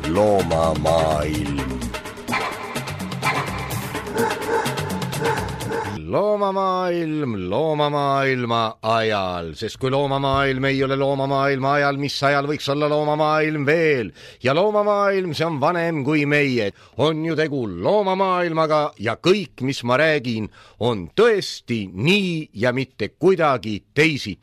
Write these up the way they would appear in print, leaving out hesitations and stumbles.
loomamaailm. Loomamaailma ajal, sest kui loomamaailm ei ole loomamaailma ajal, mis ajal võiks olla loomamaailm veel? Ja loomamaailm, see on vanem kui meie. On ju tegu loomamaailmaga ja kõik, mis ma räägin, on tõesti nii ja mitte kuidagi teisiti.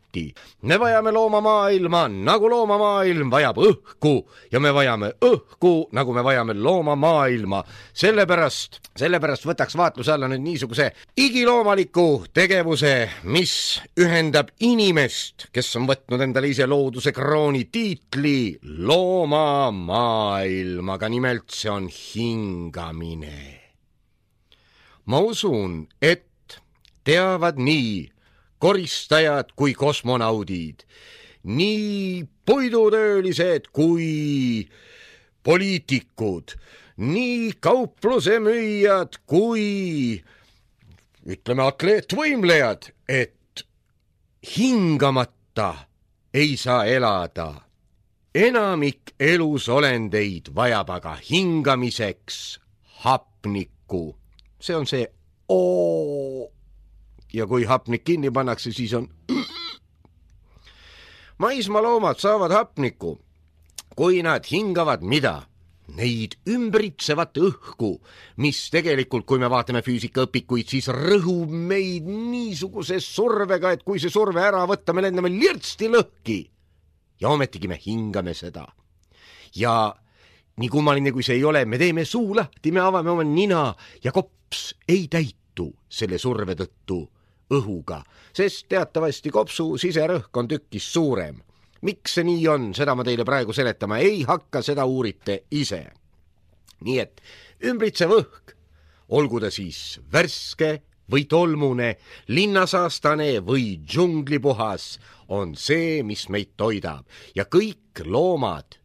Me vajame loomamaailma nagu loomamaailm vajab õhku ja me vajame õhku nagu me vajame loomamaailma. Sellepärast võtaks vaatluse alla nüüd niisuguse igiloomaliku tegevuse, mis ühendab inimest, kes on võtnud endale ise looduse krooni tiitli loomamaailmaga, nimelt see on hingamine. Ma usun, et teavad nii koristajad kui kosmonaudid, nii puidutöölised kui poliitikud, nii kauplusemüüjad kui ütleme atleetvõimlejad, et hingamata ei saa elada. Enamik elusolendeid vajab aga hingamiseks hapnikku. See on see O. Ja kui hapnik kinni pannakse, siis on maismaaloomad saavad hapnikku, kui nad hingavad mida? Neid ümbritsevat õhku, mis tegelikult, kui me vaatame füüsikaõpikuid, siis rõhub meid niisuguse survega, et kui see surve ära võtta, me lendame lirtsti lõhki. Ja ometigi me hingame seda. Ja nii kummaline kui see ei ole, me teeme suu lahti, me avame oma nina ja kops ei täitu selle surve tõttu õhuga, sest teatavasti kopsu siserõhk on tükkis suurem. Miks see nii on, seda ma teile praegu seletama ei hakka, seda uurite ise. Nii et ümbritsev õhk, olgu ta siis värske või tolmune, linnasaastane või džunglipuhas, on see, mis meid toidab. Ja kõik loomad,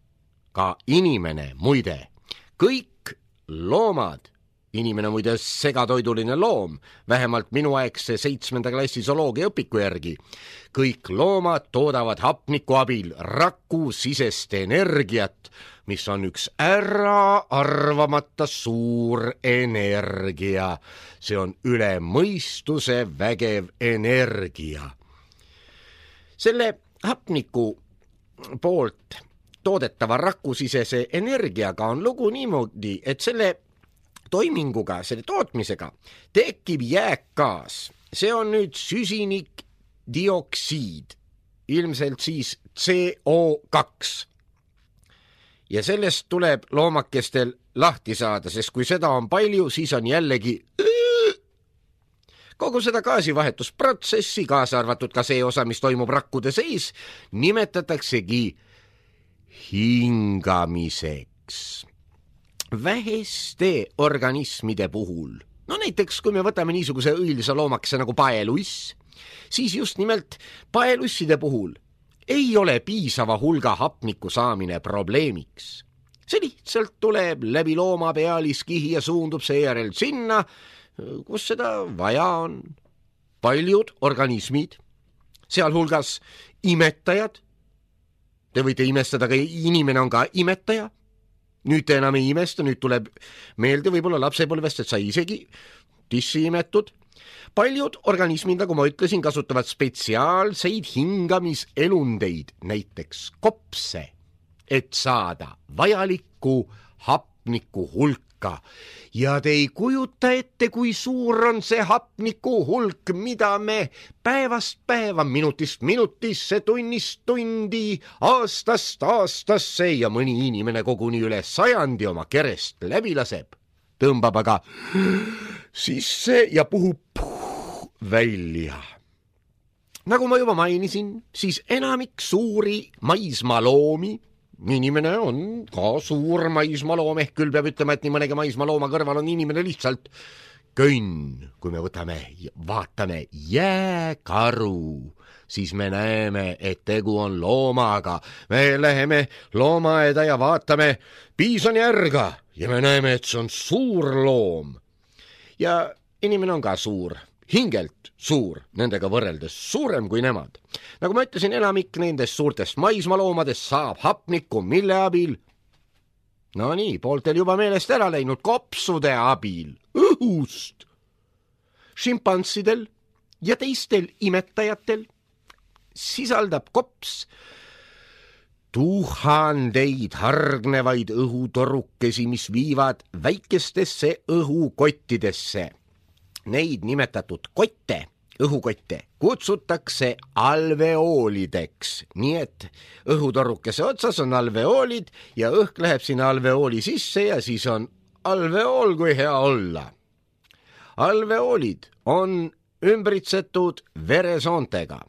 ka inimene muide, kõik loomad, inimene muide segatoiduline loom, vähemalt minuaegse 7. klassi zooloogia õpiku järgi. Kõik loomad toodavad hapniku abil rakusisest energiat, mis on üks äraarvamata suur energia. See on üle mõistuse vägev energia. Selle hapniku poolt toodetava rakusisese energiaga on lugu niimoodi, et selle toiminguga, selle tootmisega tekib jääkgaas. See on nüüd süsinikdioksiid, ilmselt siis CO2. Ja sellest tuleb loomakestel lahti saada, sest kui seda on palju, siis on jällegi kogu seda gaasivahetusprotsessi, kaasa arvatud ka see osa, mis toimub rakkude sees, nimetataksegi hingamiseks. Väheste organismide puhul, no näiteks kui me võtame niisuguse õilsa loomakese nagu paeluiss, siis just nimelt paelusside puhul ei ole piisava hulga hapniku saamine probleemiks. See lihtsalt tuleb läbi looma pealiskihi ja suundub seejärel sinna, kus seda vaja on. Paljud organismid, sealhulgas imetajad, te võite imestada, aga inimene on ka imetaja. Nüüd te enam ei imesta, nüüd tuleb meelde võib-olla lapsepõlvest, et sai isegi tissi imetud. Paljud organismid, nagu ma ütlesin, kasutavad spetsiaalseid hingamiselundeid, näiteks kopse, et saada vajalikku hapniku hulka. Ja te ei kujuta ette, kui suur on see hapniku hulk, mida me päevast päeva, minutist minutisse, tunnist tundi, aastast aastasse ja mõni inimene koguni üle 100 oma kerest läbi laseb. Tõmbab aga sisse ja puhub välja. Nagu ma juba mainisin, siis enamik suuri maismaaloomi, inimene on ka suur maismaaloom, ehk küll peab ütlema, et nii mõnegi maismaalooma kõrval on inimene lihtsalt könn. Kui me vaatame jääkaru, siis me näeme, et tegu on loomaga. Me läheme loomaaeda ja vaatame piisonjärga ja me näeme, et see on suur loom. Ja inimene on ka suur, hingelt suur, nendega võrreldes suurem kui nemad. Nagu ma ütlesin, enamik nendest suurtest maismaaloomadest saab hapnikku, mille abil No nii, pooltel juba meelest ära läinud kopsude abil õhust. Šimpanssidel ja teistel imetajatel sisaldab kops tuhandeid hargnevaid õhutorukesi, mis viivad väikestesse õhukottidesse. Neid nimetatud kotte, õhukotte, kutsutakse alveoolideks, nii et õhutorukese otsas on alveoolid ja õhk läheb sinna alveooli sisse ja siis on alveool, kui hea olla. Alveoolid on ümbritsetud veresoontega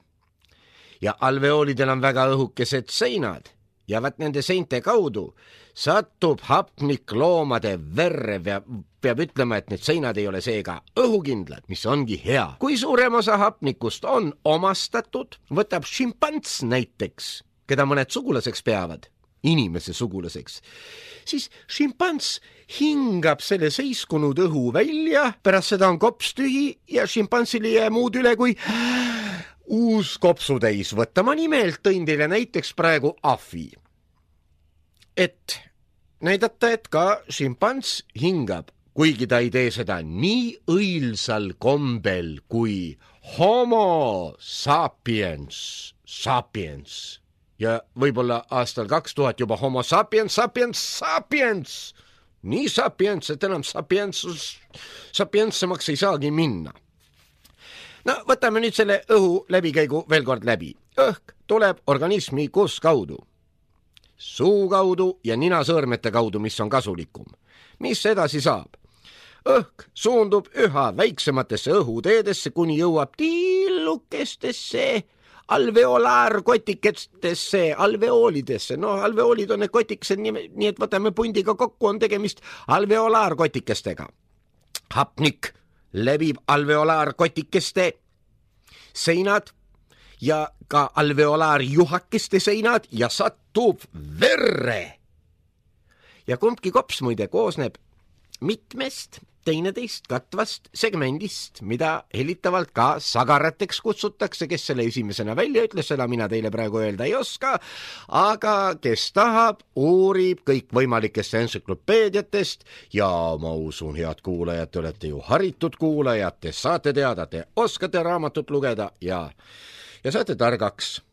ja alveoolidel on väga õhukesed seinad ja vaat nende seinte kaudu satub hapnik loomade verre ja peab ütlema, et need seinad ei ole seega õhukindlad, mis ongi hea. Kui suurem osa hapnikust on omastatud, võtab šimpants näiteks, keda mõned sugulaseks peavad, inimese sugulaseks, siis šimpants hingab selle seiskunud õhu välja, pärast seda on kops tühi ja šimpansil ei jää muud üle kui uus kopsutäis võtta. Ma nimelt tõin teile näiteks praegu ahvi, et näidata, et ka šimpants hingab, kuigi ta ei tee seda nii õilsal kombel kui homo sapiens ja võib-olla aastal 2000 juba homo sapiens, nii sapiens, et enam sapientsemaks ei saagi minna. No võtame nüüd selle õhu läbikäigu veel kord läbi. Õhk tuleb organismi kus kaudu? Suu kaudu ja ninasõõrmete kaudu, mis on kasulikum. Mis edasi saab? Õhk suundub üha väiksematesse õhuteedesse, kuni jõuab tillukestesse alveolaarkotikestesse, alveoolidesse. No alveoolid on need kotikesed, nii et võtame pundiga kokku, on tegemist alveolaarkotikestega. Hapnik läbib alveolaarkotikeste seinad ja ka alveolaarjuhakeste seinad ja satub verre. Ja kumbki kops muide koosneb mitmest teineteist katvast segmendist, mida hellitavalt ka sagarateks kutsutakse. Kes selle esimesena välja ütles, seda mina teile praegu öelda ei oska, aga kes tahab, uurib kõik võimalikest entsüklopeediatest ja ma usun, head kuulajad, te olete ju haritud kuulajad, te saate teada, te oskate raamatut lugeda ja saate targaks.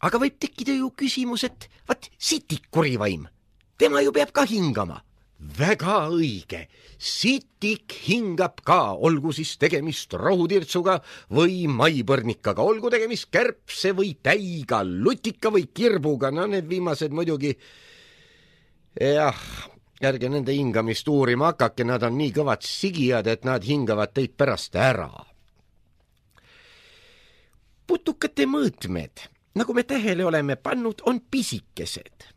Aga võib tekkida ju küsimus, et vaat sitik kurivaim, tema ju peab ka hingama. Väga õige, sitik hingab ka, olgu siis tegemist rohutirtsuga või maipõrnikaga, olgu tegemist kärbse või täiga, lutika või kirbuga, no need viimased muidugi, jah, ärge nende hingamist uurima hakake, nad on nii kõvad sigijad, et nad hingavad teid pärast ära. Putukate mõõtmed, nagu me tähele oleme pannud, on pisikesed.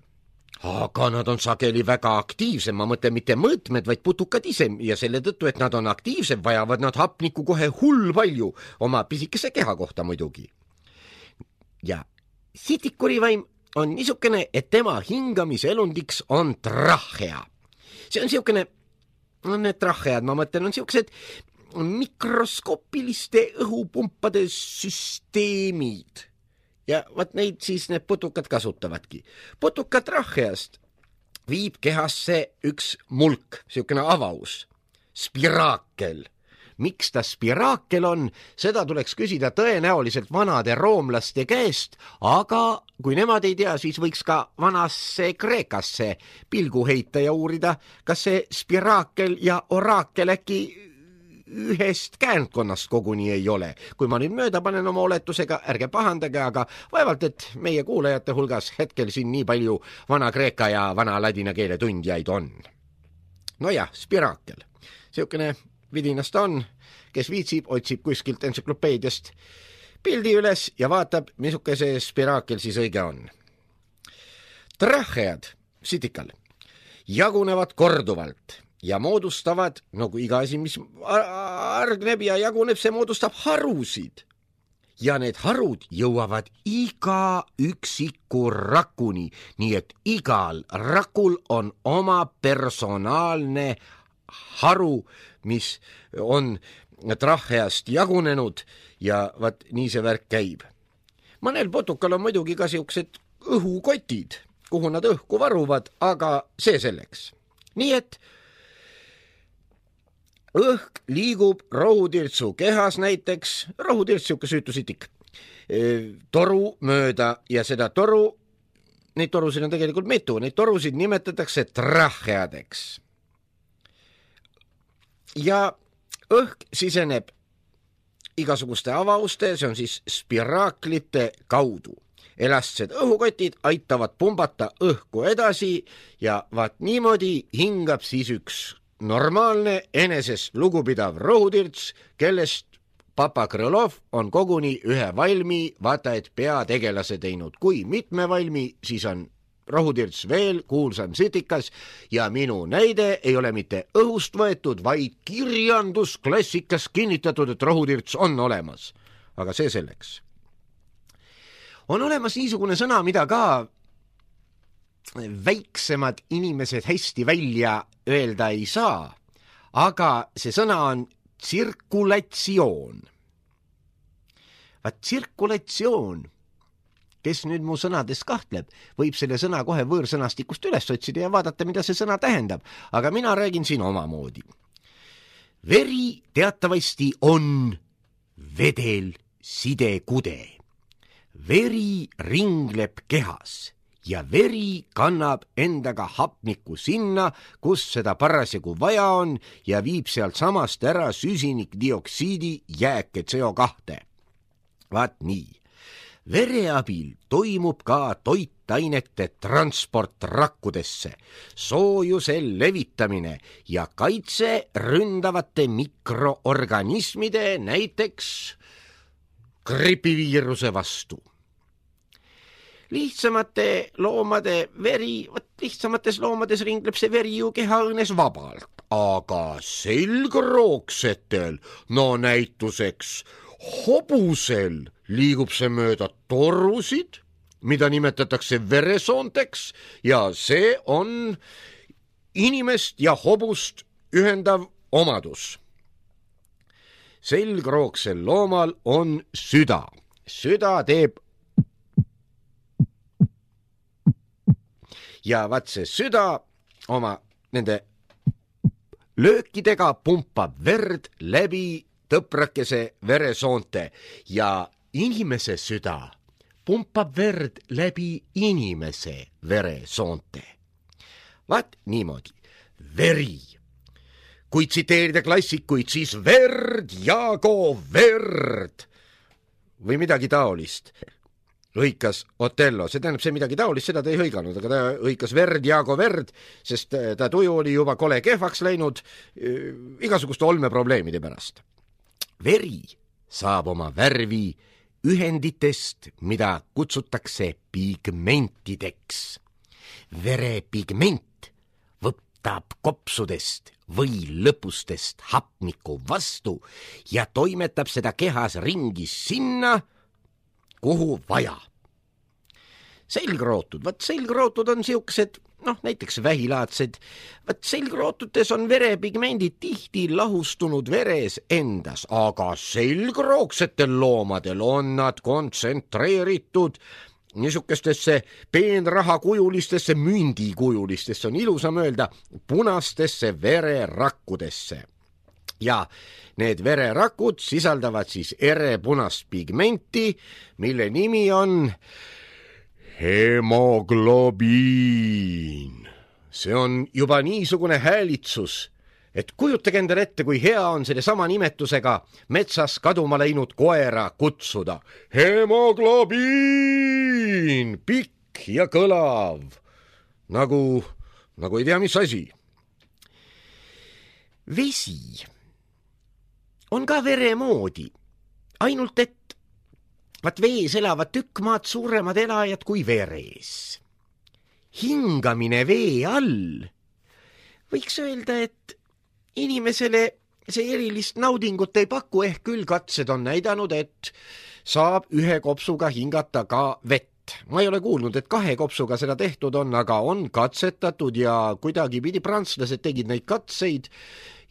Aga nad on sageli väga aktiivsed, ma mõtlen mitte mõõtmed, vaid putukad ise ja selle tõttu, et nad on aktiivsed, vajavad nad hapnikku kohe hull palju oma pisikese keha kohta muidugi. Ja sitikurivaim on niisugune, et tema hingamise elundiks on trahea. See on niisugune, need trahead, ma mõtlen, on niisugused mikroskoopiliste õhupumpade süsteemid. Ja vaat neid siis need putukad kasutavadki. Putuka traheast viib kehasse üks mulk, niisugune avaus, spiraakel. Miks ta spiraakel on, seda tuleks küsida tõenäoliselt vanade roomlaste käest, aga kui nemad ei tea, siis võiks ka vanasse Kreekasse pilgu heita ja uurida, kas see spiraakel ja oraakel äkki ühest käänkonnast koguni ei ole. Kui ma nüüd mööda panen oma oletusega, ärge pahandage, aga vaevalt, et meie kuulajate hulgas hetkel siin nii palju vana kreeka ja vana ladina keele tundjaid on. Nojah, spiraakel. Siukene vidinast on, kes viitsib, otsib kuskilt entsüklopeediast pildi üles ja vaatab, misuke see spiraakel siis õige on. Trahead, sitikal, jagunevad korduvalt ja moodustavad, nagu iga asi, mis argneb ja jaguneb, see moodustab harusid. Ja need harud jõuavad iga üksiku rakuni, nii et igal rakul on oma personaalne haru, mis on traheast jagunenud ja vaat nii see värk käib. Mõnel putukal on muidugi ka siuksed õhukotid, kuhu nad õhku varuvad, aga see selleks. Nii et õhk liigub rohutirtsu kehas näiteks, rohutirts, siuke süütusitik, toru mööda ja seda toru, neid torusid on tegelikult mitu, neid torusid nimetatakse tracheadeks. Ja õhk siseneb igasuguste avauste, see on siis spiraaklite kaudu. Elastsed õhukotid aitavad pumbata õhku edasi ja vaat niimoodi hingab siis üks normaalne enesest lugupidav rohutirts, kellest Papa Krõlov on koguni ühe valmi, vaata et peategelase teinud. Kui mitme valmi, siis on rohutirts veel kuulsam sitikas ja minu näide ei ole mitte õhust võetud, vaid kirjandusklassikas kinnitatud, et rohutirts on olemas. Aga see selleks. On olemas niisugune sõna, mida ka väiksemad inimesed hästi välja öelda ei saa, aga see sõna on tsirkulatsioon. Vaat tsirkulatsioon, kes nüüd mu sõnades kahtleb, võib selle sõna kohe võõrsõnastikust üles otsida ja vaadata, mida see sõna tähendab, aga mina räägin siin omamoodi. Veri teatavasti on vedel sidekude. Veri ringleb kehas ja veri kannab endaga hapnikku sinna, kus seda parasjagu vaja on ja viib sealt samast ära süsinikdioksiidi jääke CO2. Vaat nii. Vere abil toimub ka toitainete transport rakkudesse, soojuse levitamine ja kaitse ründavate mikroorganismide, näiteks gripiviiruse vastu. Lihtsamate loomade veri, lihtsamates loomades ringleb see veri ju kehaõõnes vabalt, aga selgroogsetel, no näituseks hobusel liigub see mööda torusid, mida nimetatakse veresoonteks ja see on inimest ja hobust ühendav omadus. Selgroogsel loomal on süda. Süda teeb ja vaat see süda oma nende löökidega pumpab verd läbi tõprakese veresoonte ja inimese süda pumpab verd läbi inimese veresoonte. Vaat niimoodi. Veri. Kui tsiteerida klassikuid, siis verd, jaago verd. Või midagi taolist. Hõikas Otello, see tähendab see midagi taolist, seda ta ei hõiganud, aga ta hõikas verd, jaago verd, sest ta tuju oli juba kole kehvaks läinud igasuguste olmeprobleemide pärast. Veri saab oma värvi ühenditest, mida kutsutakse pigmentideks. Verepigment võtab kopsudest või lõpustest hapniku vastu ja toimetab seda kehas ringi sinna, kuhu vaja. Selgrootud, vaat selgrootud on siuksed, näiteks vähilaadsed, vaat selgrootutes on verepigmendid tihti lahustunud veres endas, aga selgroogsetel loomadel on nad kontsentreeritud niisugustesse peenrahakujulistesse, mündikujulistesse, on ilusam öelda, punastesse vererakkudesse. Ja need vererakud sisaldavad siis erepunast pigmenti, mille nimi on hemoglobiin. See on juba niisugune häälitsus, et kujutage endale ette, kui hea on selle sama nimetusega metsas kaduma läinud koera kutsuda. Hemoglobiin, pikk ja kõlav, nagu ei tea, mis asi. Vesi on ka vere moodi, ainult et vaat vees elavad tükk maad suuremad elajad kui veres. Hingamine vee all võiks öelda, et inimesele see erilist naudingut ei paku, ehk küll katsed on näidanud, et saab ühe kopsuga hingata ka vett. Ma ei ole kuulnud, et 2 kopsuga seda tehtud on, aga on katsetatud ja kuidagi pidi prantslased tegid neid katseid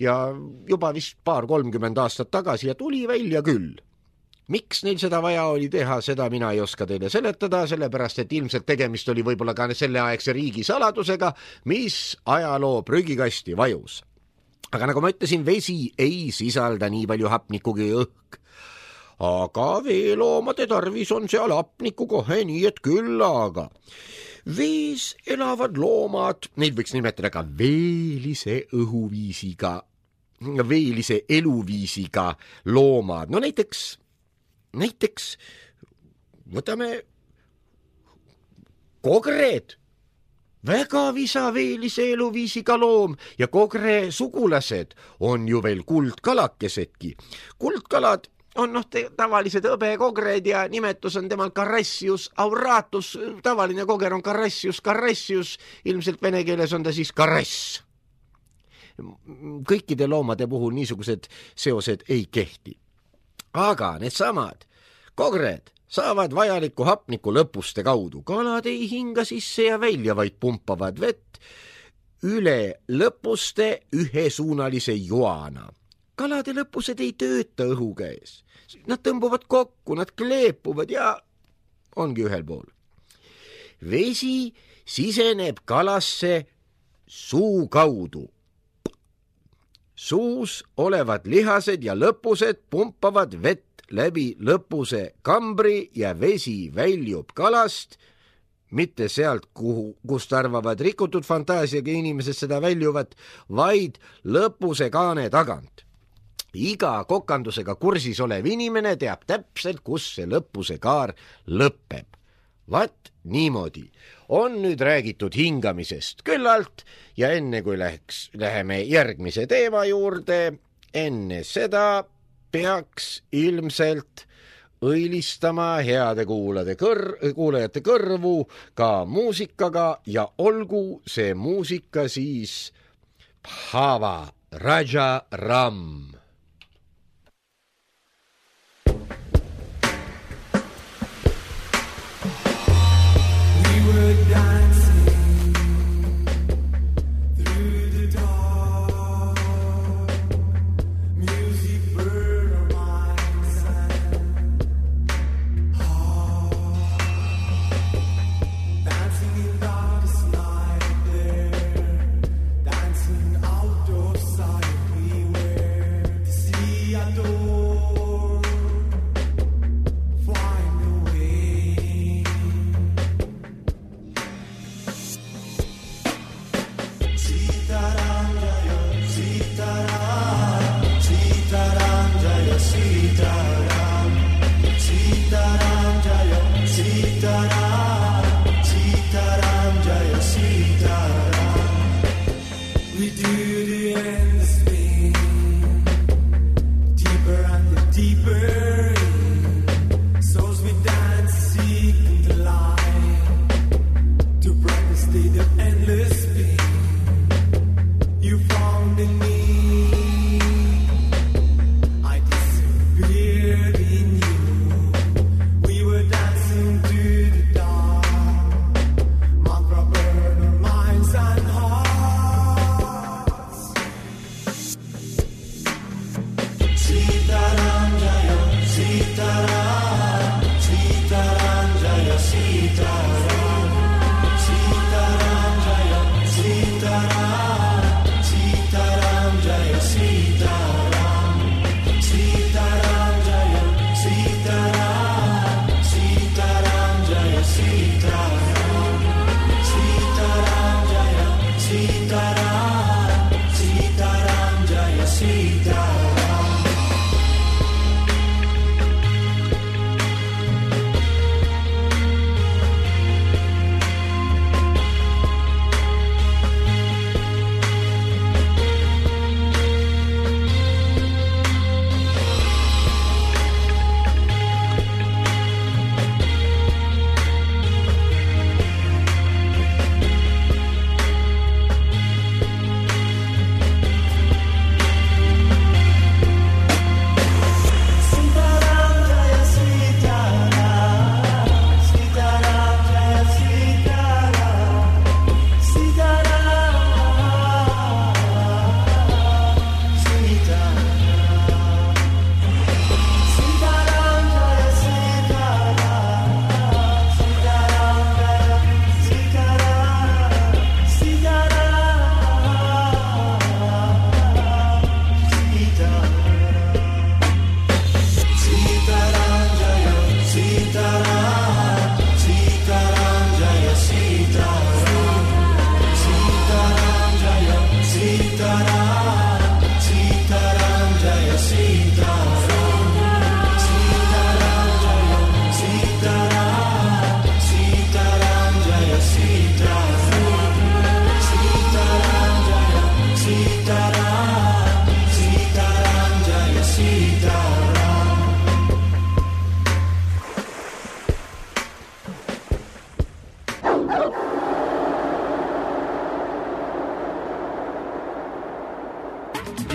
ja juba vist 30 aastat tagasi ja tuli välja küll. Miks neil seda vaja oli teha, seda mina ei oska teile seletada, sellepärast et ilmselt tegemist oli võib-olla ka selleaegse riigi saladusega, mis ajaloo prügikasti vajus. Aga nagu ma ütlesin, vesi ei sisalda nii palju hapnikku kui õhk. Aga veeloomade tarvis on seal hapnikku kohe nii, et küllaga. Vees elavad loomad, neid võiks nimetada ka veelise eluviisiga loomad. No näiteks võtame kogred, väga visaveelise eluviisiga loom ja kogre sugulased on ju veel kuldkalakesedki. Kuldkalad on tavalised hõbekogred ja nimetus on temal Carassius auratus, tavaline koger on Carassius, ilmselt vene keeles on ta siis Carass. Kõikide loomade puhul niisugused seosed ei kehti. Aga needsamad kogred saavad vajalikku hapnikku lõpuste kaudu. Kalad ei hinga sisse ja välja, vaid pumpavad vett üle lõpuste ühesuunalise joana. Kalade lõpused ei tööta õhu käes. Nad tõmbuvad kokku, nad kleepuvad ja ongi ühel pool. Vesi siseneb kalasse suu kaudu. Suus olevad lihased ja lõpused pumpavad vett läbi lõpuse kambri ja vesi väljub kalast, mitte sealt, kust arvavad rikutud fantaasiaga inimesed seda väljuvat, vaid lõpuse kaane tagant. Iga kokandusega kursis olev inimene teab täpselt, kus see lõpuse kaar lõpeb. Vaat niimoodi on nüüd räägitud hingamisest küllalt ja enne kui läheme järgmise teema juurde, enne seda peaks ilmselt õilistama heade kuulajate kõrvu ka muusikaga ja olgu see muusika siis Bhava Raja Ram.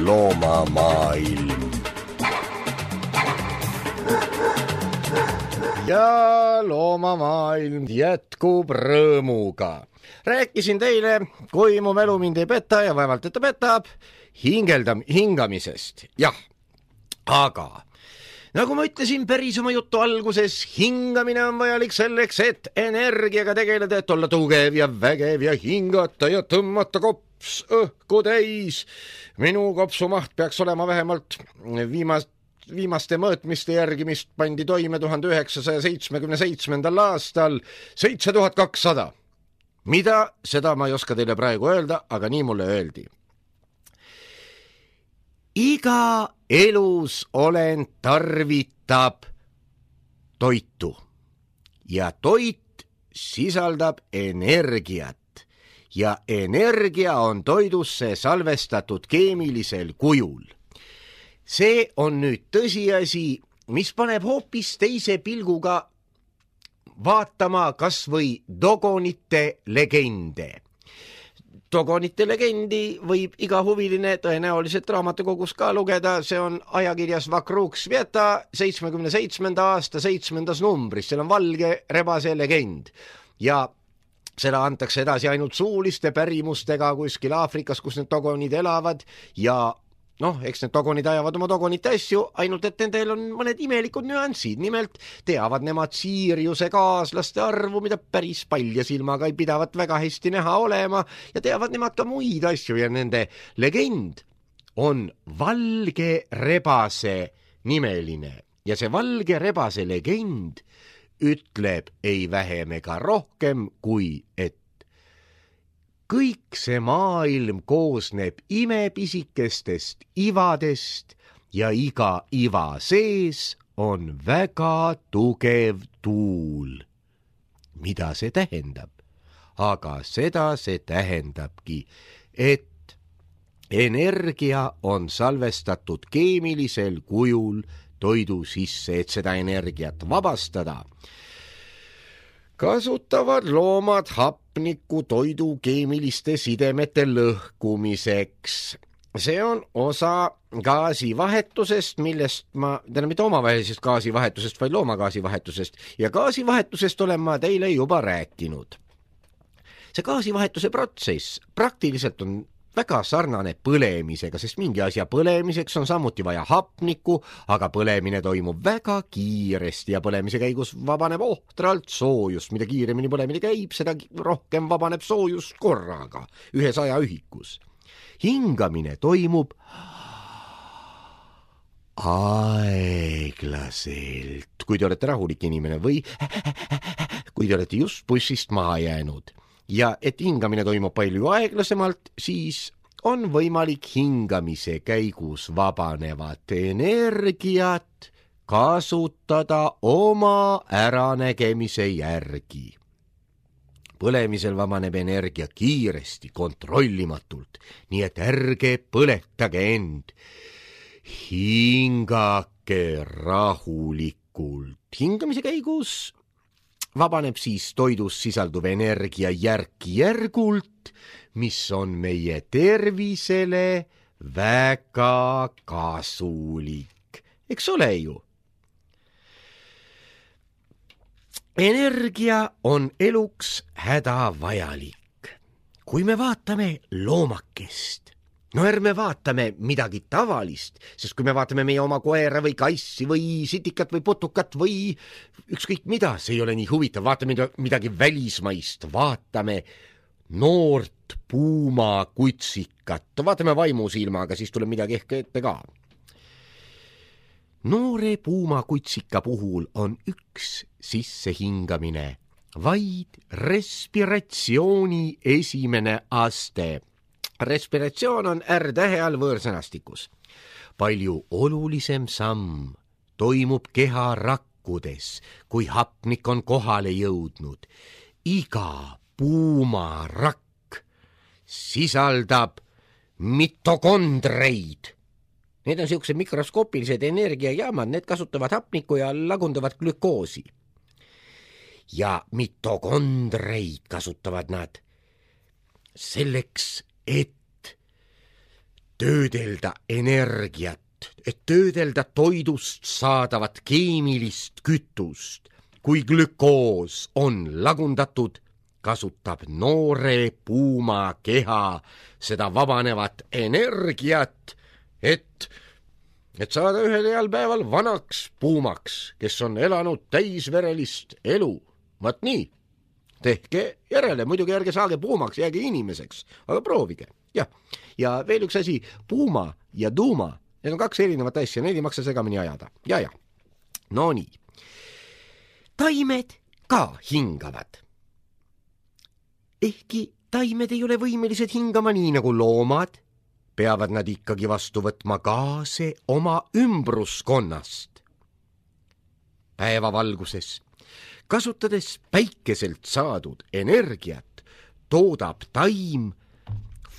Loomamaailm. Ja loomamaailm jätkub rõõmuga. Rääkisin teile, kui mu mälu mind ei peta ja vaevalt, et ta petab, hingamisest. Jah, aga nagu ma ütlesin päris oma jutu alguses, hingamine on vajalik selleks, et energiaga tegeleda, et olla tugev ja vägev ja hingata ja tõmmata kops õhku täis. Minu kopsumaht peaks olema vähemalt viimaste mõõtmiste järgi, mis pandi toime 1977. aastal 7200. Mida, seda ma ei oska teile praegu öelda, aga nii mulle öeldi. Iga elus olend tarvitab toitu ja toit sisaldab energiat ja energia on toidusse salvestatud keemilisel kujul. See on nüüd tõsiasi, mis paneb hoopis teise pilguga vaatama kas või dogonite legende. Dogonite legendi võib iga huviline tõenäoliselt raamatukogus ka lugeda, see on ajakirjas Vakruk Sveta 77. aasta 7. numbris, seal on valge rebase legend ja seda antakse edasi ainult suuliste pärimustega kuskil Aafrikas, kus need dogonid elavad ja eks need dogonid ajavad oma dogonite asju, ainult et nendel on mõned imelikud nüansid. Nimelt teavad nemad Siiriuse kaaslaste arvu, mida päris palja silmaga ei pidavat väga hästi näha olema ja teavad nemad ka muid asju ja nende legend on valge rebase nimeline ja see valge rebase legend ütleb ei vähem ega rohkem kui et kõik see maailm koosneb imepisikestest ivadest ja iga iva sees on väga tugev tuul. Mida see tähendab? Aga seda see tähendabki, et energia on salvestatud keemilisel kujul toidu sisse, et seda energiat vabastada. Kasutavad loomad hapnikku toidu keemiliste sidemete lõhkumiseks. See on osa gaasivahetusest, millest mitte omavahelisest gaasivahetusest, vaid loomagaasivahetusest. Ja gaasivahetusest olen ma teile juba rääkinud. See gaasivahetuse protsess praktiliselt on väga sarnane põlemisega, sest mingi asja põlemiseks on samuti vaja hapnikku, aga põlemine toimub väga kiiresti ja põlemise käigus vabaneb ohtralt soojust. Mida kiiremini põlemine käib, seda rohkem vabaneb soojust korraga, 100 ühikus. Hingamine toimub aeglaselt, kui te olete rahulik inimene või kui te olete just bussist maha jäänud. Ja et hingamine toimub palju aeglasemalt, siis on võimalik hingamise käigus vabanevat energiat kasutada oma äranägemise järgi. Põlemisel vabaneb energia kiiresti, kontrollimatult, nii et ärge põletage end. Hingake rahulikult. Hingamise käigus vabaneb siis toidus sisalduv energia järk-järgult, mis on meie tervisele väga kasulik. Eks ole ju? Energia on eluks hädavajalik. Kui me vaatame loomakest, ärme vaatame midagi tavalist, sest kui me vaatame meie oma koera või kassi või sitikat või putukat või ükskõik mida, see ei ole nii huvitav, vaatame midagi välismaist, vaatame noort puumakutsikat, vaatame vaimusilmaga, siis tuleb midagi ehk ette ka. noore puumakutsika puhul on üks sissehingamine, vaid respiratsiooni esimene aste. Respiratsioon on R-tähe all võõrsõnastikus. Palju olulisem samm toimub keha rakkudes, kui hapnik on kohale jõudnud. Iga puumarakk sisaldab mitokondreid. Need on siuksed mikroskoopilised energiajaamad, need kasutavad hapnikku ja lagunduvad glükoosi. Ja mitokondreid kasutavad nad selleks, et töödelda energiat, et töödelda toidust saadavat keemilist kütust. Kui glükoos on lagundatud, kasutab noore puuma keha seda vabanevat energiat, et saada ühel heal päeval vanaks puumaks, kes on elanud täisverelist elu. Vaat nii, tehke järele, muidugi ärge saage puumaks, jääge inimeseks, aga proovige. Ja veel üks asi, puuma ja tuuma, need on kaks erinevat asja, neid ei maksa segamini ajada. Ja. No nii. Taimed ka hingavad. Ehkki taimed ei ole võimelised hingama nii nagu loomad, peavad nad ikkagi vastu võtma gaase oma ümbruskonnast. Päevavalguses, kasutades päikeselt saadud energiat, toodab taim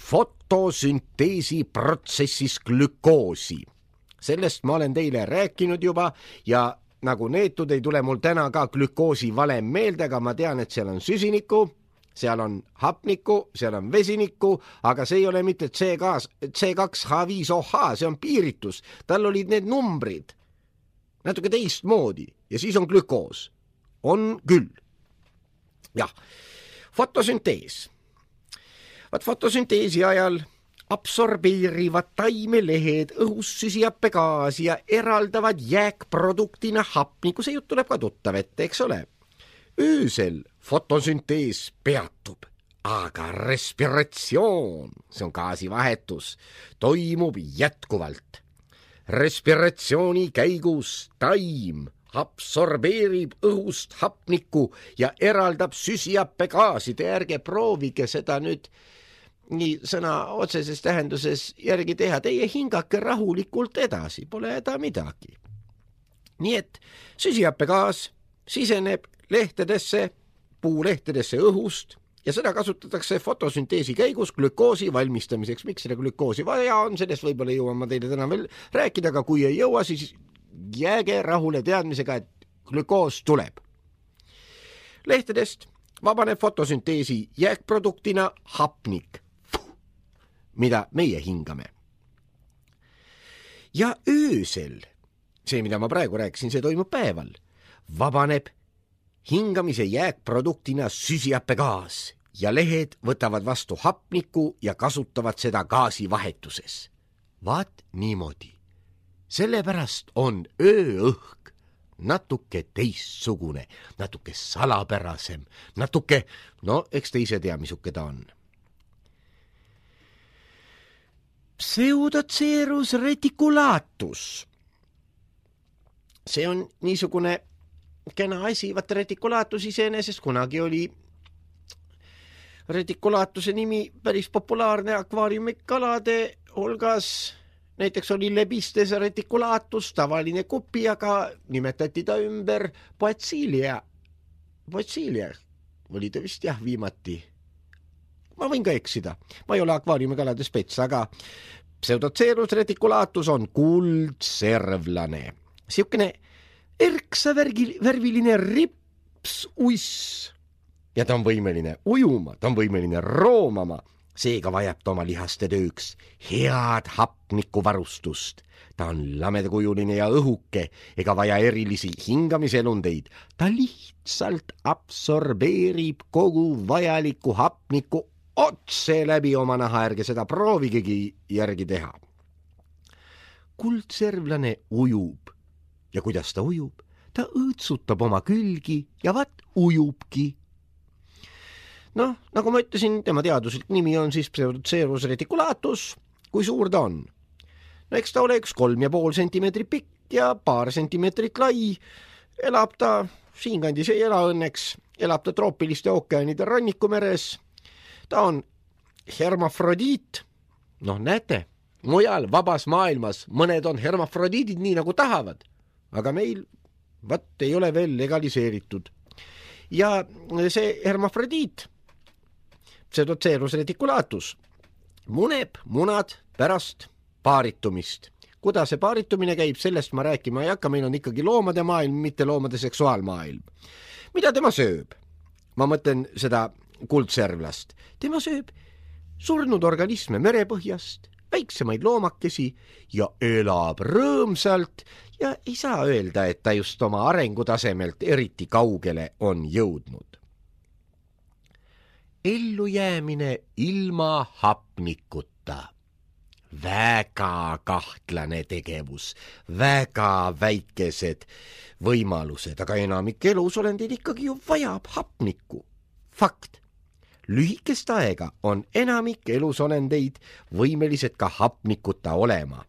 fotosünteesi protsessis glükoosi. Sellest ma olen teile rääkinud juba ja nagu neetud ei tule mul täna ka glükoosi valem meelde, aga ma tean, et seal on süsinikku, seal on hapnikku, seal on vesinikku, aga see ei ole mitte C2H5OH, see on piiritus. Tal olid need numbrid natuke teistmoodi ja siis on glükoos. On küll. Jah, fotosüntees. Fotosünteesi ajal absorbeerivad taimelehed õhus süsihappegaasi ja eraldavad jääkproduktina hapniku. See jutt tuleb ka tuttav ette, eks ole? Öösel fotosüntees peatub, aga respiratsioon, see on gaasivahetus, toimub jätkuvalt. Respiratsiooni käigus taim absorbeerib õhust hapniku ja eraldab süsihappegaasi. Te ärge proovige seda nüüd nii sõna otseses tähenduses järgi teha. Teie hingake rahulikult edasi, pole häda midagi. Nii et süsihappegaas siseneb lehtedesse, puulehtedesse õhust ja seda kasutatakse fotosünteesi käigus glükoosi valmistamiseks. Miks seda glükoosi vaja on, sellest võib-olla jõuan ma teile täna veel rääkida, aga kui ei jõua, siis jääge rahule teadmisega, et glükoos tuleb. Lehtedest vabaneb fotosünteesi jääkproduktina hapnik, mida meie hingame. Ja öösel, see mida ma praegu rääkisin, see toimub päeval, vabaneb hingamise jääkproduktina süsihappegaas ja lehed võtavad vastu hapniku ja kasutavad seda gaasivahetuses. Vaat niimoodi. Sellepärast on ööõhk natuke teistsugune, natuke salapärasem, natuke, eks te ise tea, misuke ta on. Pseudocerus reticulatus. See on niisugune kena asi, vaata reticulatus iseenesest kunagi oli reticulaatuse nimi päris populaarne akvaariumikalade hulgas. Näiteks oli lebistes reticulatus, tavaline kupi, aga nimetati ta ümber Poecilia. Poecilia oli ta vist viimati. Ma võin ka eksida. Ma ei ole akvaariumikalade spets, aga Pseudocerus reticulatus on kuldservlane. Siukene erksavärviline ripsuiss. Ja ta on võimeline ujuma, ta on võimeline roomama. Seega vajab ta oma lihaste tööks head hapnikuvarustust. Ta on lamedakujuline ja õhuke ega vaja erilisi hingamiselundeid. Ta lihtsalt absorbeerib kogu vajaliku hapniku otse läbi oma naha, ärge seda proovigegi järgi teha. Kuldservlane ujub ja kuidas ta ujub? Ta õõtsutab oma külgi ja vaat ujubki. Nagu ma ütlesin, tema teaduslik nimi on siis Pseudocerus reticulatus. Kui suur ta on? Eks ta ole 3,5 sentimeetri pikk ja paar sentimeetrit lai. Elab ta, siinkandis ei ela õnneks, elab ta troopiliste ookeanide rannikumeres. Ta on hermafrodiit. Näete, mujal vabas maailmas mõned on hermafrodiidid nii nagu tahavad, aga meil ei ole veel legaliseeritud. Ja see hermafrodiit, pseudoceros reticulatus, muneb munad pärast paaritumist. Kuidas see paaritumine käib, sellest ma rääkima ei hakka, meil on ikkagi loomade maailm, mitte loomade seksuaalmaailm. Mida tema sööb? Ma mõtlen seda kuldservlast. Tema sööb surnud organisme merepõhjast, väiksemaid loomakesi ja elab rõõmsalt ja ei saa öelda, et ta just oma arengutasemelt eriti kaugele on jõudnud. Ellujäämine ilma hapnikuta. Väga kahtlane tegevus, väga väikesed võimalused, aga enamik elusolendid ikkagi ju vajab hapnikku. Fakt. Lühikest aega on enamik elusolendeid võimelised ka hapnikuta olema.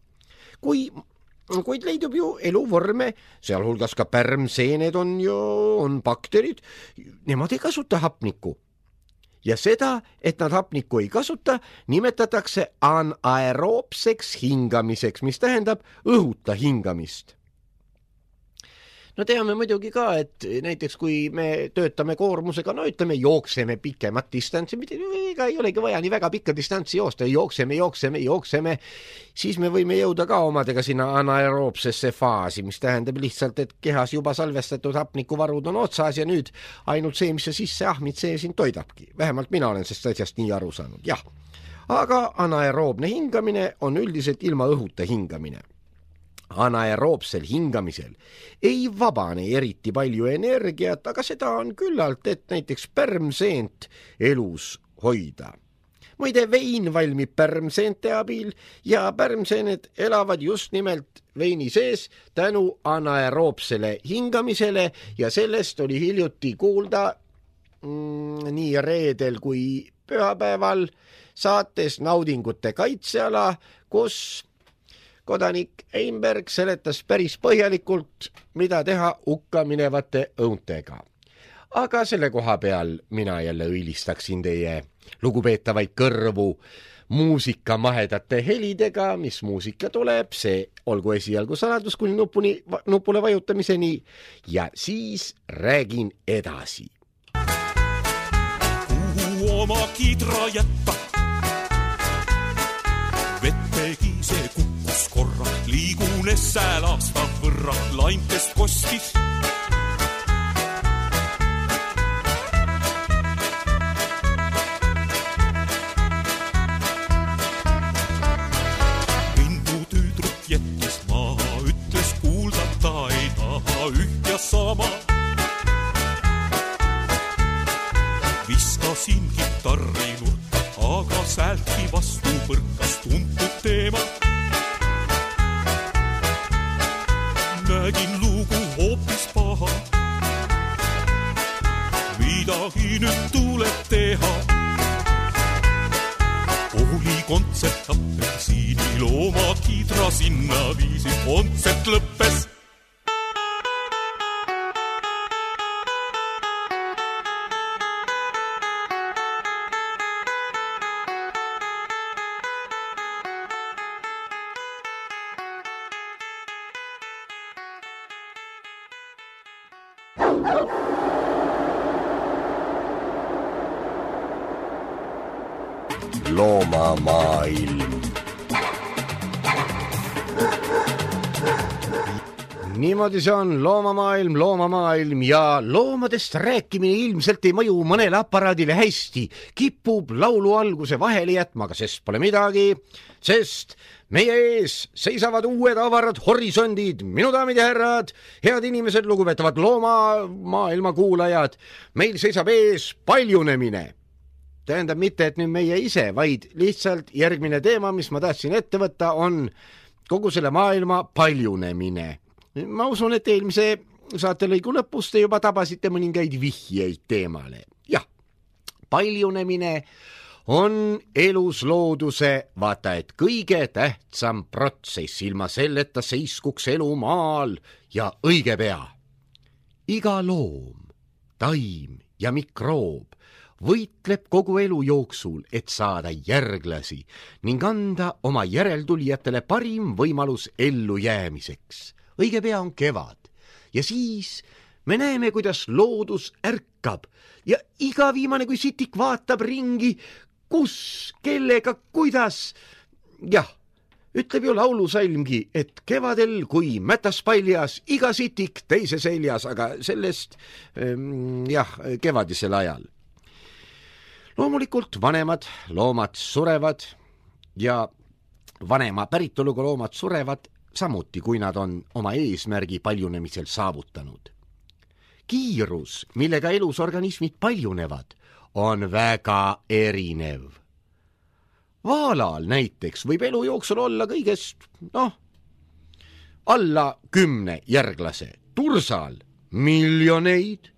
Kuid leidub ju eluvorme, sealhulgas ka pärmseened on bakterid, nemad ei kasuta hapnikku. Ja seda, et nad hapnikku ei kasuta, nimetatakse anaeroopseks hingamiseks, mis tähendab õhuta hingamist. Teame muidugi ka, et näiteks kui me töötame koormusega, ütleme jookseme pikemat distantsi, ega ei olegi vaja nii väga pikka distantsi joosta, jookseme, siis me võime jõuda ka omadega sinna anaeroopsesse faasi, mis tähendab lihtsalt, et kehas juba salvestatud hapnikuvarud on otsas ja nüüd ainult see, mis sa sisse ahmid, see sind toidabki. Vähemalt mina olen sellest asjast nii aru saanud, jah. Aga anaeroobne hingamine on üldiselt ilma õhuta hingamine. Anaeroopsel hingamisel ei vabane eriti palju energiat, aga seda on küllalt, et näiteks pärmseent elus hoida. Muide, vein valmib pärmseente abil ja pärmseened elavad just nimelt veini sees tänu anaeroopsele hingamisele ja sellest oli hiljuti kuulda nii reedel kui pühapäeval saates Naudingute kaitseala, kus kodanik Einberg seletas päris põhjalikult, mida teha hukka minevate õuntega. Aga selle koha peal mina jälle õilistaksin teie lugupeetavaid kõrvu muusikamahedate helidega, mis muusika tuleb, see olgu esialgu saladus kuni nupule vajutamiseni ja siis räägin edasi. Kuhu oma kidra jätta? Vettegi see kukkus korra, liigunes säälaasta võrra, laintest kostis. Lindutüüdruk jättis maha, ütles kuulda ta ei taha üht ja sama. Viskasin kitarri nurka, aga säältki vastu põrkas tuntud teema. Nägin lugu hoopis paha, midagi nüüd tuleb teha. Oli kontsert apelsiinil, oma kidra sinna viisid, kontsert lõppes. Loomamaailm. Niimoodi see on loomamaailm ja loomadest rääkimine ilmselt ei mõju mõnele aparaadile hästi. Kipub laulu alguse vahele jätma, aga sest pole midagi, sest meie ees seisavad uued avarad horisondid. Minu daamid ja härrad, head inimesed, lugupeetavad loomamaailma kuulajad, meil seisab ees paljunemine. Tähendab mitte, et nüüd meie ise, vaid lihtsalt järgmine teema, mis ma tahtsin ette võtta, on kogu selle maailma paljunemine. Ma usun, et eelmise saatelõigu lõpus te juba tabasite mõningaid vihjeid teemale. Jah, paljunemine on elus looduse vaata et kõige tähtsam protsess, ilma selleta seiskuks elu maal ja õige pea. Iga loom, taim ja mikroob võitleb kogu elu jooksul, et saada järglasi ning anda oma järeltulijatele parim võimalus ellujäämiseks. Õige pea on kevad ja siis me näeme, kuidas loodus ärkab ja iga viimane kui sitik vaatab ringi, kus, kellega, kuidas. Jah, ütleb ju laulusalmgi, et kevadel, kui mätas paljas, iga sitik teise seljas, aga sellest kevadisel ajal. Loomulikult vanemad loomad surevad ja vanema päritoluga loomad surevad samuti, kui nad on oma eesmärgi paljunemisel saavutanud. Kiirus, millega elus organismid paljunevad, on väga erinev. Vaalal näiteks võib elu jooksul olla kõigest, alla 10 järglase, tursal miljoneid.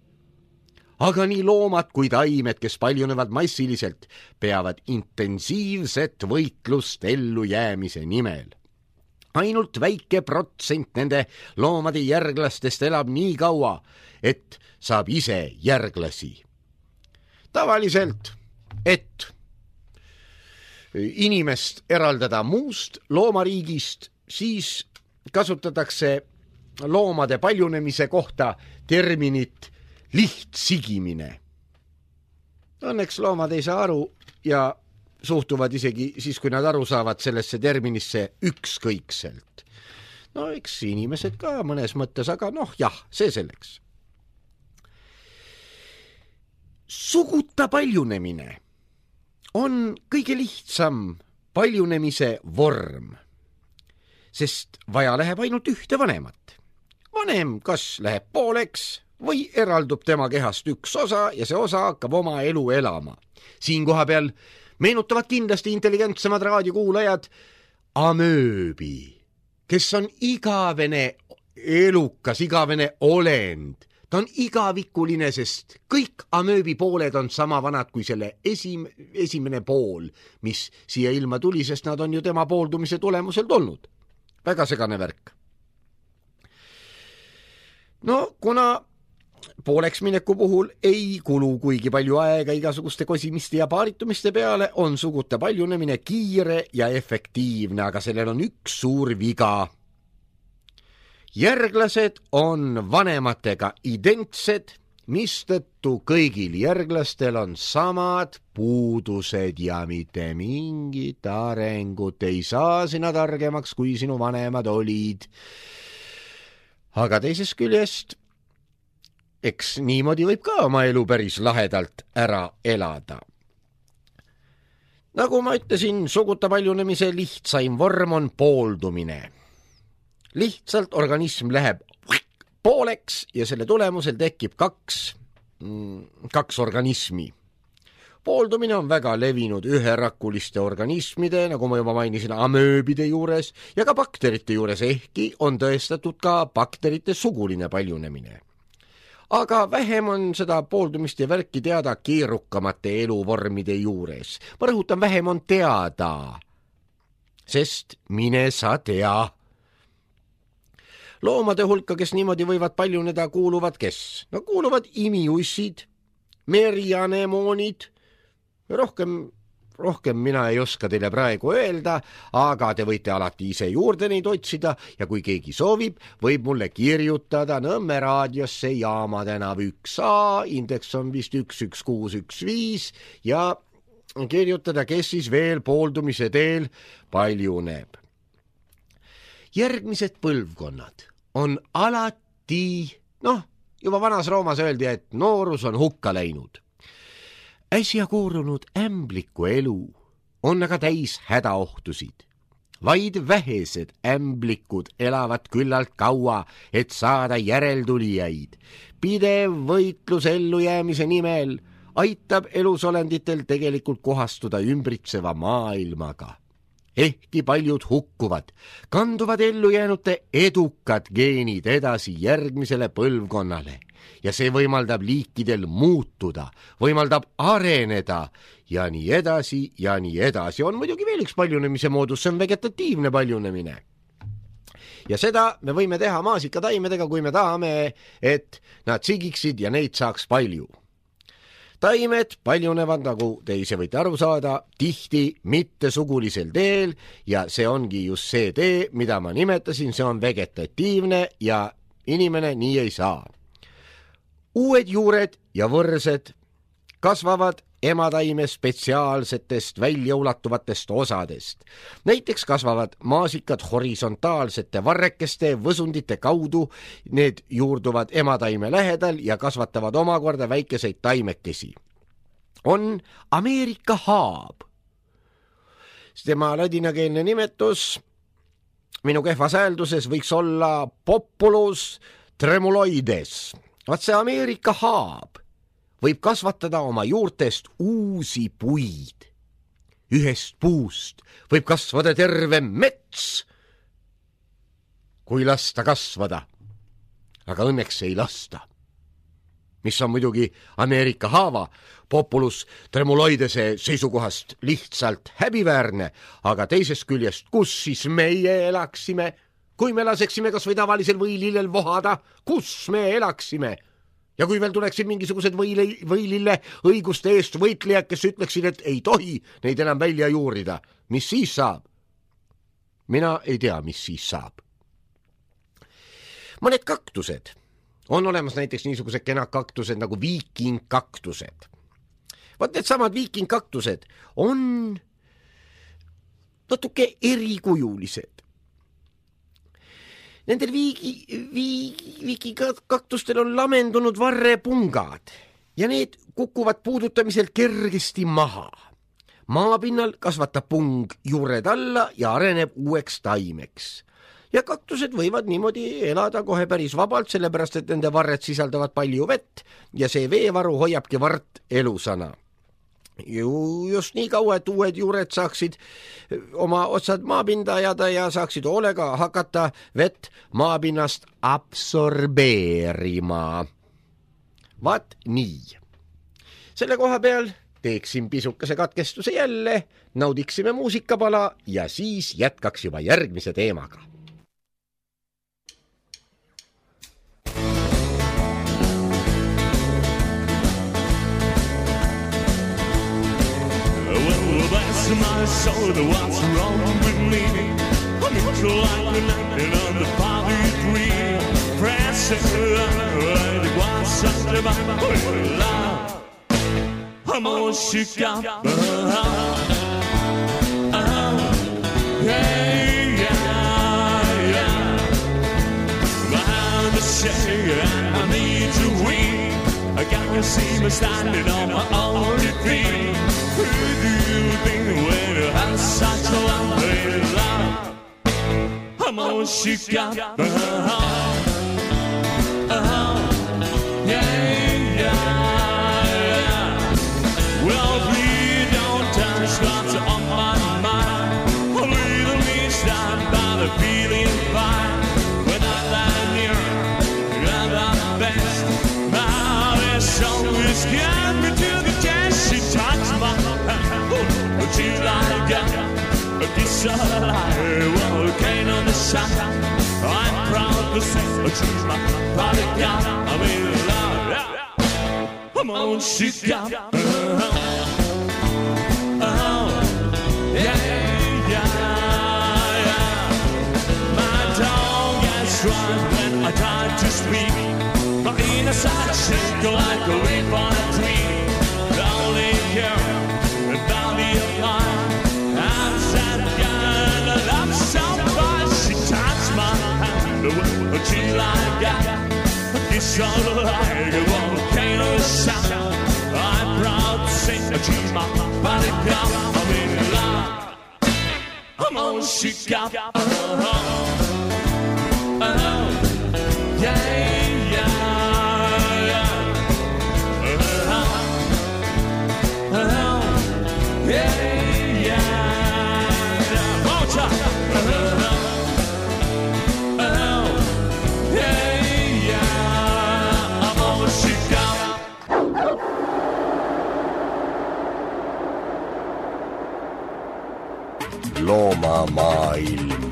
Aga nii loomad kui taimed, kes paljunevad massiliselt, peavad intensiivset võitlust ellujäämise nimel. Ainult väike protsent nende loomade järglastest elab nii kaua, et saab ise järglasi. Tavaliselt, et inimest eraldada muust loomariigist, siis kasutatakse loomade paljunemise kohta terminit lihtsigimine. Õnneks loomad ei saa aru ja suhtuvad isegi siis, kui nad aru saavad sellesse terminisse ükskõikselt. Eks inimesed ka mõnes mõttes, aga see selleks. Suguta paljunemine on kõige lihtsam paljunemise vorm, sest vaja läheb ainult ühte vanemat. Vanem kas läheb pooleks või eraldub tema kehast üks osa ja see osa hakkab oma elu elama. Siin koha peal meenutavad kindlasti intelligentsemad raadiokuulajad amööbi, kes on igavene elukas, igavene olend. Ta on igavikuline, sest kõik amööbi pooled on sama vanad kui selle esimene pool, mis siia ilma tuli, sest nad on ju tema pooldumise tulemusel tulnud. Väga segane värk. Kuna pooleks mineku puhul ei kulu kuigi palju aega igasuguste kosimiste ja paaritumiste peale, on suguta paljunemine kiire ja efektiivne, aga sellel on üks suur viga. Järglased on vanematega identsed, mistõttu kõigil järglastel on samad puudused ja mitte mingit arengut ei saa sina targemaks, kui sinu vanemad olid. Aga teisest küljest, eks niimoodi võib ka oma elu päris lahedalt ära elada. Nagu ma ütlesin, suguta paljunemise lihtsaim vorm on pooldumine. Lihtsalt organism läheb pooleks ja selle tulemusel tekib kaks organismi. Pooldumine on väga levinud üherakuliste organismide, nagu ma juba mainisin, amööbide juures ja ka bakterite juures, ehkki on tõestatud ka bakterite suguline paljunemine. Aga vähem on seda pooldumist ja värki teada keerukamate eluvormide juures. Ma rõhutan, vähem on teada, sest mine sa tea. Loomade hulka, kes niimoodi võivad paljuneda, kuuluvad kes? Kuuluvad imiussid, merianemoonid. Rohkem mina ei oska teile praegu öelda, aga te võite alati ise juurde neid otsida ja kui keegi soovib, võib mulle kirjutada Nõmme raadiosse Jaama tänav 1A, indeks on vist 11615 ja kirjutada, kes siis veel pooldumise teel paljuneb. Järgmised põlvkonnad on alati, juba vanas Roomas öeldi, et noorus on hukka läinud. Äsja koorunud ämbliku elu on aga täis hädaohtusid. Vaid vähesed ämblikud elavad küllalt kaua, et saada järeltulijaid. Pidev võitlus ellujäämise nimel aitab elusolenditel tegelikult kohastuda ümbritseva maailmaga. Ehkki paljud hukkuvad, kanduvad ellujäänute edukad geenid edasi järgmisele põlvkonnale ja see võimaldab liikidel muutuda, võimaldab areneda ja nii edasi ja nii edasi. On muidugi veel üks paljunemise moodus, see on vegetatiivne paljunemine. Ja seda me võime teha maasikataimedega, kui me tahame, et nad sigiksid ja neid saaks palju. Taimed paljunevad, nagu te ise võite aru saada, tihti mittesugulisel teel ja see ongi just see tee, mida ma nimetasin, see on vegetatiivne ja inimene nii ei saa. Uued juured ja võrsed kasvavad emataime spetsiaalsetest väljaulatuvatest osadest. Näiteks kasvavad maasikad horisontaalsete varrekeste võsundite kaudu, need juurduvad emataime lähedal ja kasvatavad omakorda väikeseid taimekesi. On Ameerika haab. Tema ladinakeelne nimetus minu kehvas häälduses võiks olla Populus tremuloides. Vaat see Ameerika haab võib kasvatada oma juurtest uusi puid. Ühest puust võib kasvada terve mets, kui lasta kasvada. Aga õnneks ei lasta. Mis on muidugi Ameerika haava Populus tremuloidese seisukohast lihtsalt häbiväärne, aga teisest küljest, kus siis meie elaksime, kui me laseksime kas või tavalisel võilillel vohada, kus me elaksime? Ja kui veel tuleksid mingisugused võilille õiguste eest võitlejad, kes ütleksid, et ei tohi neid enam välja juurida, mis siis saab? Mina ei tea, mis siis saab. Mõned kaktused. On olemas näiteks niisugused kenad kaktused nagu viikingkaktused. Vaat need samad viikingkaktused on natuke erikujulised. Nendel viikingkaktustel on lamendunud varrepungad ja need kukuvad puudutamisel kergesti maha. Maapinnal kasvatab pung juured alla ja areneb uueks taimeks. Ja kaktused võivad niimoodi elada kohe päris vabalt, sellepärast et nende varred sisaldavad palju vett ja see veevaru hoiabki vart elusana. Just nii kaua, et uued juured saaksid oma otsad maapinda ajada ja saaksid hoolega hakata vett maapinnast absorbeerima. Vaat nii. Selle koha peal teeksin pisukese katkestuse jälle, naudiksime muusikapala ja siis jätkaks juba järgmise teemaga. My soul, what's wrong with me? I'm like the 1943 pressure, it was such a love. I'm all shook up, yeah. Behind the shade, I need to win. I can't see me standing on my own feet. Who do you think when you have such a lovely love? I'm all shook up, yeah. Well, please don't touch what's on my mind. Little me stand by the feeling fine. When I lie near, you're the best. Now this always got me to the test. She touched my but you like a kiss alive, volcano on the sun. I'm proud to say I choose my product out. I'm in love, I'm on shook up, yeah. My tongue gets dry when I try to speak. My inner side shake like a leaf on a tree. Only care about the line. I'm sad again, I love somebody. She touched my hand, but she like that. It's all like a volcano sound. I'm proud to say that she's my body count. I'm in love, I'm on shook up, yeah. I'm on loomamaailm.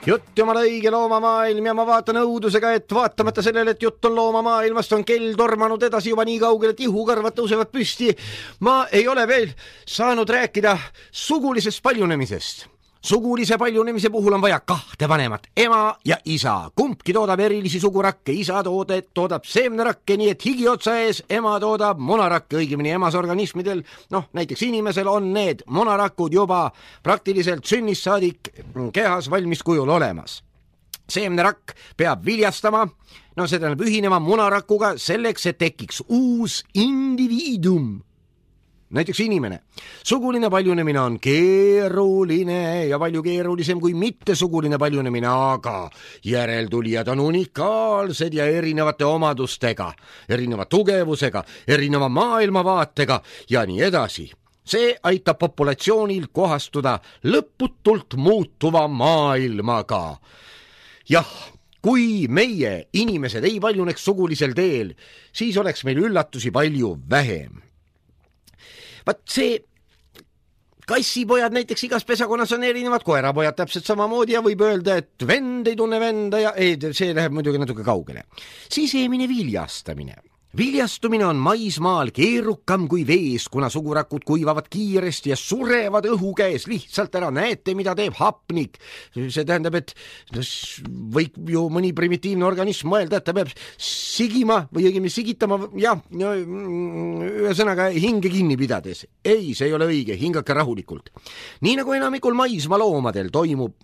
Jutt jumala õige loomamaailm ja ma vaatan õudusega, et vaatamata sellele, et jutt on loomamaailmast, on kell tormanud edasi juba nii kaugel, et ihukarvad tõusevad püsti. Ma ei ole veel saanud rääkida sugulisest paljunemisest. Sugulise paljunemise puhul on vaja kahte vanemat, ema ja isa. Kumbki toodab erilisi sugurakke, isa toodab seemnerakke, nii et higi otsa ees, ema toodab monarakke, õigemini emas organismidel, näiteks inimesel on need monarakud juba praktiliselt sünnist saadik kehas valmis kujul olemas. Seemnerakk peab viljastama, see tähendab ühinema monarakuga selleks, et tekiks uus indiviidum. Näiteks inimene. Suguline paljunemine on keeruline ja palju keerulisem kui mittesuguline paljunemine, aga järeltulijad on unikaalsed ja erinevate omadustega, erineva tugevusega, erineva maailmavaatega ja nii edasi. See aitab populatsioonil kohastuda lõputult muutuva maailmaga. Jah, kui meie inimesed ei paljuneks sugulisel teel, siis oleks meil üllatusi palju vähem. Vaat see kassipojad näiteks igas pesakonnas on erinevad, koerapojad täpselt samamoodi ja võib öelda, et vend ei tunne venda ja see läheb muidugi natuke kaugele. Sisemine viljastamine. Viljastumine on maismaal keerukam kui vees, kuna sugurakud kuivavad kiiresti ja surevad õhu käes lihtsalt ära. Näete, mida teeb hapnik. See tähendab, et võib ju mõni primitiivne organism mõelda, et ta peab sigima või õigemini sigitama, ühesõnaga hinge kinni pidades. Ei, see ei ole õige, hingake rahulikult. Nii nagu enamikul maismaa loomadel toimub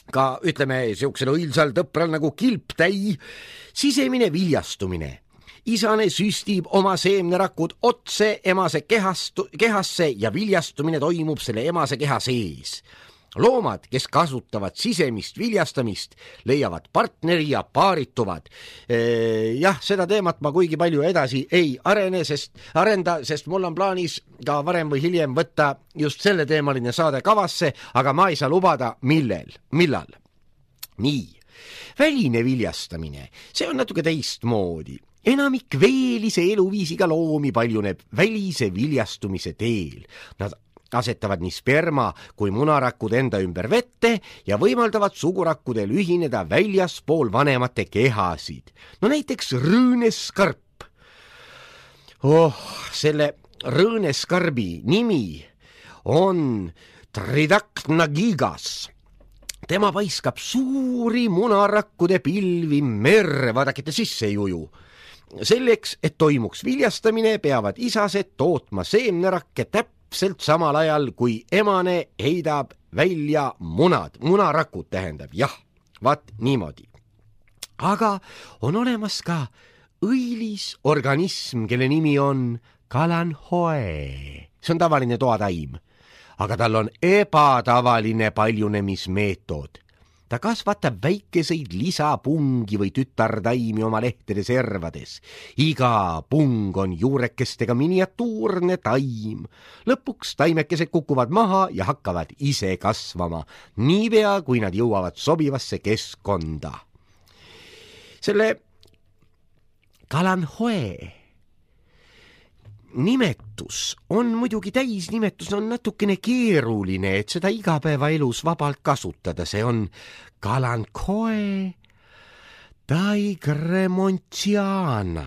ka, ütleme, siuksel õilsal tõpral nagu kilptäi, sisemine viljastumine. Isane süstib oma seemnerakud otse emase kehasse ja viljastumine toimub selle emase keha sees. Loomad, kes kasutavad sisemist viljastamist, leiavad partneri ja paarituvad. Seda teemat ma kuigi palju edasi ei arenda, sest mul on plaanis ka varem või hiljem võtta just selle teemaline saade kavasse, aga ma ei saa lubada millal. Nii, väline viljastamine, see on natuke teistmoodi. Enamik veelise eluviisiga loomi paljuneb välise viljastumise teel. Nad asetavad nii sperma kui munarakud enda ümber vette ja võimaldavad sugurakkudel ühineda väljaspool vanemate kehasid. Näiteks rõõneskarp. Selle rõõneskarbi nimi on Tridactynagigas. Tema paiskab suuri munarakkude pilvi merre, vaadakite sisse ei uju. Selleks, et toimuks viljastamine, peavad isased tootma seemnerakke täpselt samal ajal, kui emane heidab välja munarakud tähendab, vaat niimoodi. Aga on olemas ka õilis organism, kelle nimi on kalanhoe. See on tavaline toataim, aga tal on ebatavaline paljunemismeetod. Ta kasvatab väikeseid lisapungi või tütartaimi oma lehtede servades. Iga pung on juurekestega miniatuurne taim. Lõpuks taimekesed kukuvad maha ja hakkavad ise kasvama, niipea kui nad jõuavad sobivasse keskkonda. Selle kalanhoe nimetus on muidugi täisnimetus, on natukene keeruline, et seda igapäevaelus vabalt kasutada. See on kalankoe taigremontiana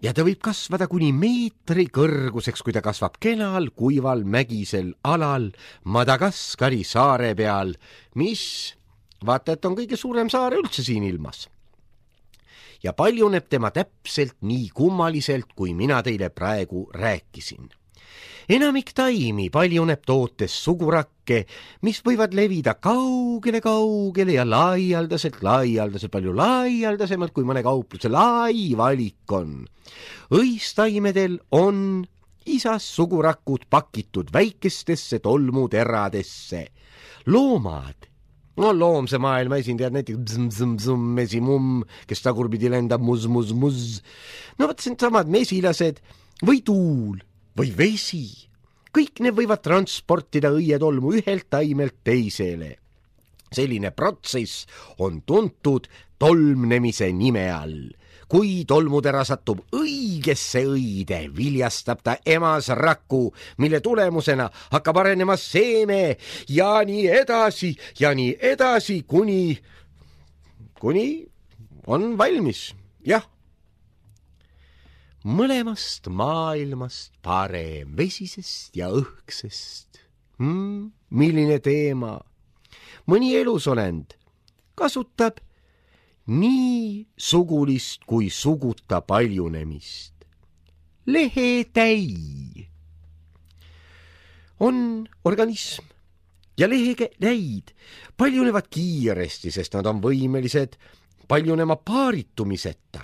ja ta võib kasvada kuni meetri kõrguseks, kui ta kasvab kenal, kuival, mägisel alal Madagaskari saare peal, mis vaata, et on kõige suurem saare üldse siin ilmas. Ja paljuneb tema täpselt nii kummaliselt, kui mina teile praegu rääkisin. Enamik taimi paljuneb tootes sugurakke, mis võivad levida kaugele ja laialdaselt, palju laialdasemalt, kui mõne kaupluse lai valik on. Õistaimedel on isas sugurakud pakitud väikestesse tolmuteradesse. Loomad, loomse maailma esindajad, näiteks mesimumm, kes tagurpidi lendab muz. Vot samad mesilased või tuul või vesi. Kõik need võivad transportida õietolmu ühelt taimelt teisele. Selline protsess on tuntud tolmnemise nime all. kui tolmutera satub õigesse õide, viljastab ta emas raku, mille tulemusena hakkab arenema seeme ja nii edasi, kuni on valmis, jah. Mõlemast maailmast parem, vesisest ja õhksest. Milline teema? Mõni elusolend kasutab nii sugulist kui suguta paljunemist. Lehetäi on organism ja lehetäid paljunevad kiiresti, sest nad on võimelised paljunema paaritumiseta.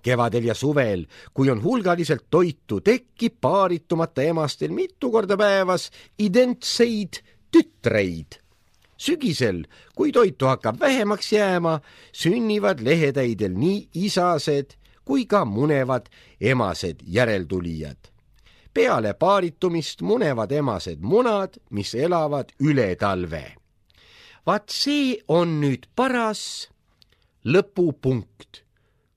Kevadel ja suvel, kui on hulgaliselt toitu, tekib paaritumata emastel mitu korda päevas identseid tütreid. Sügisel, kui toitu hakkab vähemaks jääma, sünnivad lehetäidel nii isased kui ka munevad emased järeltulijad. Peale paaritumist munevad emased munad, mis elavad üle talve. Vaat see on nüüd paras lõpupunkt.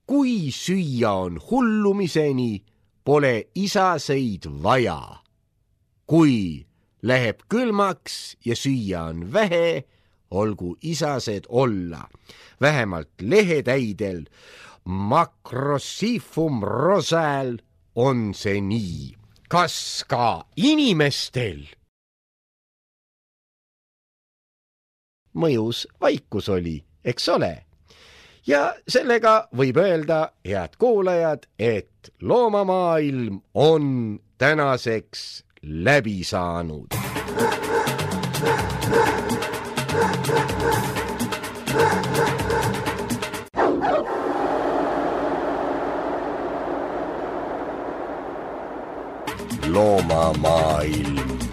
Kui süüa on hullumiseni, pole isaseid vaja. Kui läheb külmaks ja süüa on vähe, olgu isased olla. Vähemalt lehetäidel, Macrosifum rosal on see nii. Kas ka inimestel? Mõjus vaikus oli, eks ole? Ja sellega võib öelda, head kuulajad, et loomamaailm on tänaseks läbi saanud. Loomamaailm.